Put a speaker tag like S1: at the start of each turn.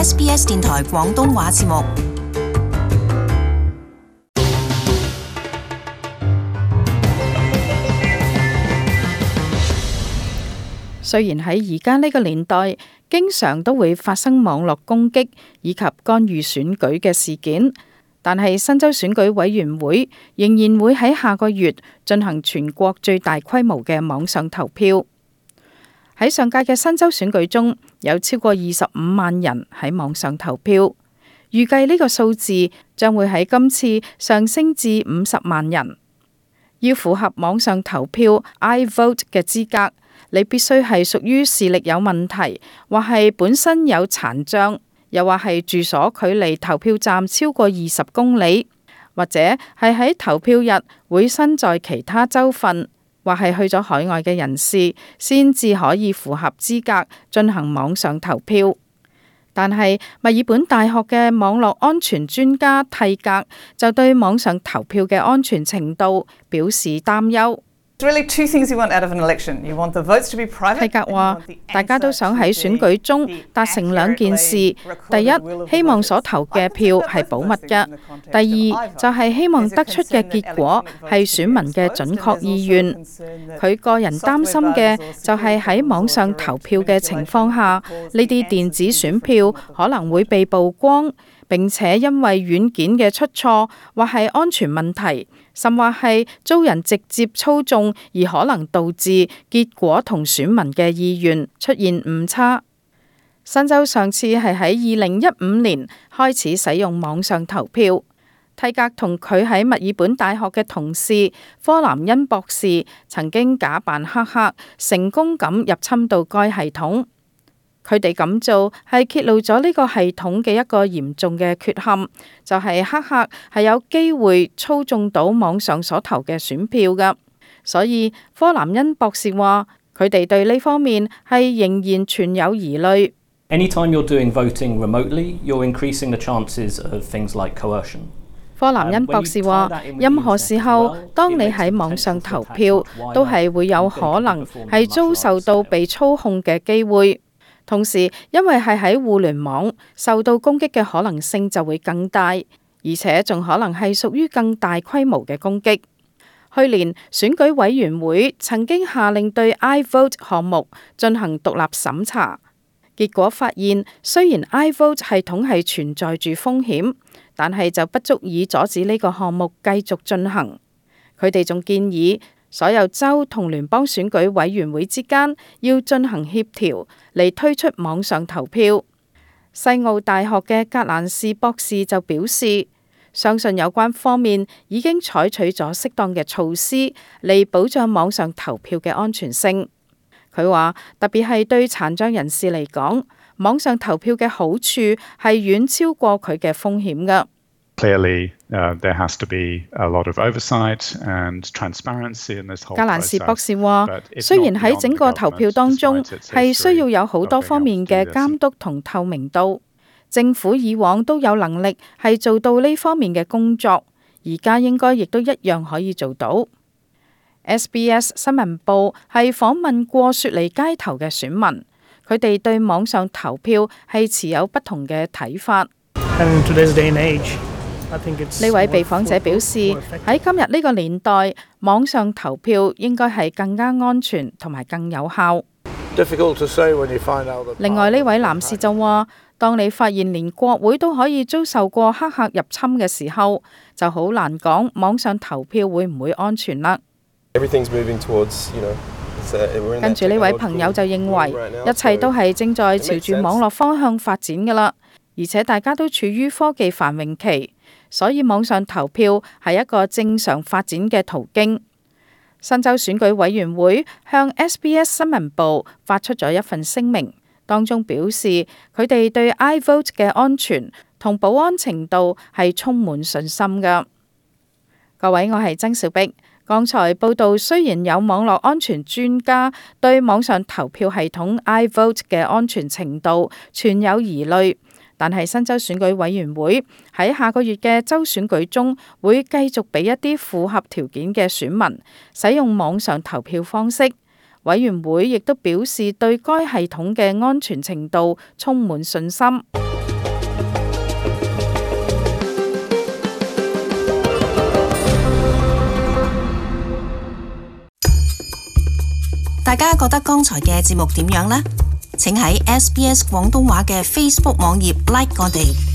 S1: SBS 電台廣東話節目。
S2: 雖然喺而家呢個年代，經常都會發生網絡攻擊以及干預選舉嘅事件，但係新州選舉委員會仍然會喺下個月進行全國最大規模嘅網上投票。喺上屆嘅新州選舉中，有超過25萬人喺網上投票，預計呢個數字將會喺今次上升至50萬人。要符合網上投票 iVote 嘅資格，你必須係屬於視力有問題，或係本身有殘障，又或係住所距離投票站超過20公里，或者係喺投票日會身在其他州份，或係去咗海外嘅人士，先至可以符合資格進行網上投票。但係墨爾本大學嘅網絡安全專家蒂格就對網上投票嘅安全程度表示擔憂。蒂格話：大家都想喺選舉中達成兩件事，第一，希望所投嘅票係保密嘅；第二，就係希望得出嘅結果係選民嘅準確意願。佢個人擔心嘅就係喺網上投票嘅情況下，呢啲電子選票可能會被曝光，並且因為軟件嘅出錯或係安全問題，甚或係遭人直接操縱，而可能導致結果同選民嘅意願出現誤差。新州上次係喺2015年開始使用網上投票。蒂格同佢喺墨爾本大學嘅同事科南恩博士曾經假扮黑客，成功咁入侵到該系統。佢哋咁做係揭露咗呢個系統嘅一個嚴重嘅缺陷，就係黑客係有機會操縱到網上所投嘅選票㗎。所以科南恩博士話，佢哋對呢方面係仍然存有疑慮。
S3: Anytime you're doing voting remotely, you're increasing the chances of things like coercion.
S2: 科南恩博士話，任何時候當你喺網上投票，都係會有可能係遭受到被操控嘅機會。同時，因為係喺互聯網，受到攻擊嘅可能性就會更大，而且仲可能係屬於更大規模嘅攻擊。去年選舉委員會曾經下令對 iVote 項目進行獨立審查，結果發現雖然 iVote 系統係存在住風險，但係就不足以阻止呢個項目繼續進行。佢哋仲建議所有州同聯邦選舉委員會之間要進行協調嚟推出網上投票。西澳大學嘅格蘭士博士就表示，相信有關方面已經採取咗適當嘅措施嚟保障網上投票嘅安全性。佢話，特別係對殘障人士嚟講，網上投票嘅好處係遠超過佢嘅風險㗎。
S4: Clearly, there has to be a lot of oversight and transparency in this whole process.
S2: 格蘭士博士話，雖然喺整個投票當中係需要有好多方面嘅監督同透明度，政府以往都有能力係做到呢方面嘅工作，而家應該亦都一樣可以做到。SBS 新聞部係訪問過雪梨街頭嘅選民，佢哋對網上投票係持有不同嘅睇法。呢位被訪者表示，喺今日呢個年代，網上投票應該係更加安全同埋更有效。另外呢位男士就話，當你發現連國會都可以遭受過黑客入侵嘅時候，就好難講網上投票會唔會安全啦。跟住呢位朋友就認為，一切都係正在朝住網絡方向發展㗎啦，而且大家都處於科技繁榮期。所以網上投票係一個正常發展嘅途徑。新州選舉委員會向 SBS 新聞部發出咗一份聲明，當中表示佢哋對 iVote 嘅安全同保安程度係充滿信心㗎。各位，我係曾小碧。剛才報道雖然有網絡安全專家對網上投票系統 iVote 嘅安全程度存有疑慮，但係新州選舉委員會喺下個月嘅州選舉中會繼續俾一啲符合條件嘅選民使用網上投票方式。委員會亦都表示對該系統嘅安全程度充滿信心。
S1: 大家覺得剛才嘅節目點樣呢？請喺SBS 廣東話嘅 Facebook 網頁 like 我哋。